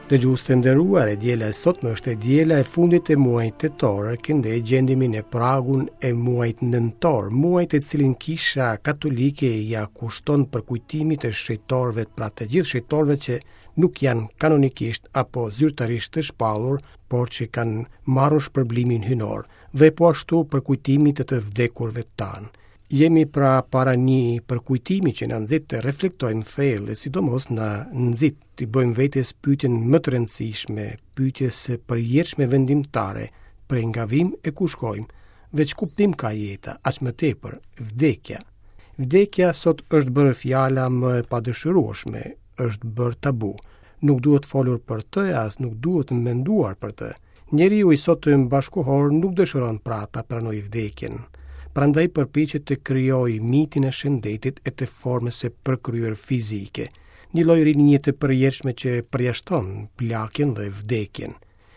Dëgjues të nderuar, e diela e sotme është e diela e fundit e muajit tetor, këndej gjendemi në pragun e muajit nëntor, muaj të cilin kisha katolike ia kushton përkujtimit të shenjtorëve, pra të gjithë shenjtorëve që nuk janë kanonikisht apo zyrtarisht të shpallur, por që kanë marrë shpërblimin hyjnor, dhe po ashtu përkujtimit të të vdekurve tanë. Jemi pra para një përkujtimi që na nxit të reflektojmë thellë dhe sidomos na nxit t'i bëjmë vetes pyetjen më të rëndësishme, pyetjes së përjetshme vendimtare, prej nga vijmë e ku shkojmë, dhe ç'kuptim ka jeta, aq më tepër, vdekja. Vdekja sot është bërë fjala më e padëshirueshme, është bërë tabu. Nuk duhet folur për të e as nuk duhet menduar për të. Njeriu i sotëm bashkëkohor nuk dëshiron pra ta pranojë vdekjen. Prandaj përpiqet të krijojë mitin e shëndetit e të formës së përkryer fizike, një lloj rinie të përjetshme që përjashton plakjen dhe vdekjen.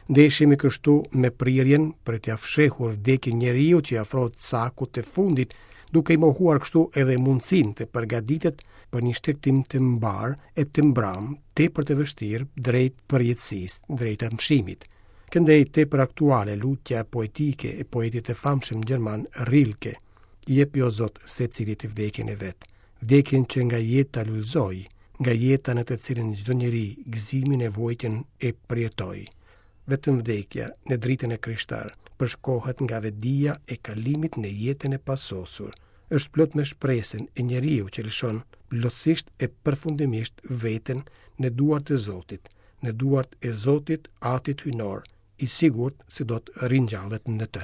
Ndeshemi kështu me prirjen për t'ia fshehur vdekjen njeriut që i afrohet cakut të fundit, duke i mohuar kështu edhe mundësinë të përgatitet për një shtegtim të mbarë e të mbramë, tepër të vështirë drejt përjetësisë, drejt amshimit. Këndej tepër aktuale lutja poetike e poetit të famshëm gjerman Rilke. Jepi o Zot secilit vdekjen e vet, vdekjen që nga jeta lulëzoi, nga jeta në të cilën çdo njeri gëzimin e vuajtjen e përjetoi. Vetëm vdekja në dritën e krishterë përshkohet nga vetëdija e kalimit në jetën e pasosur. Është plot me shpresën e njeriut që lëshon plotësisht e përfundimisht veten në duart e Zotit, në duart e Zotit Atit Hyjnor, i sigurt se do të ringjallet në të.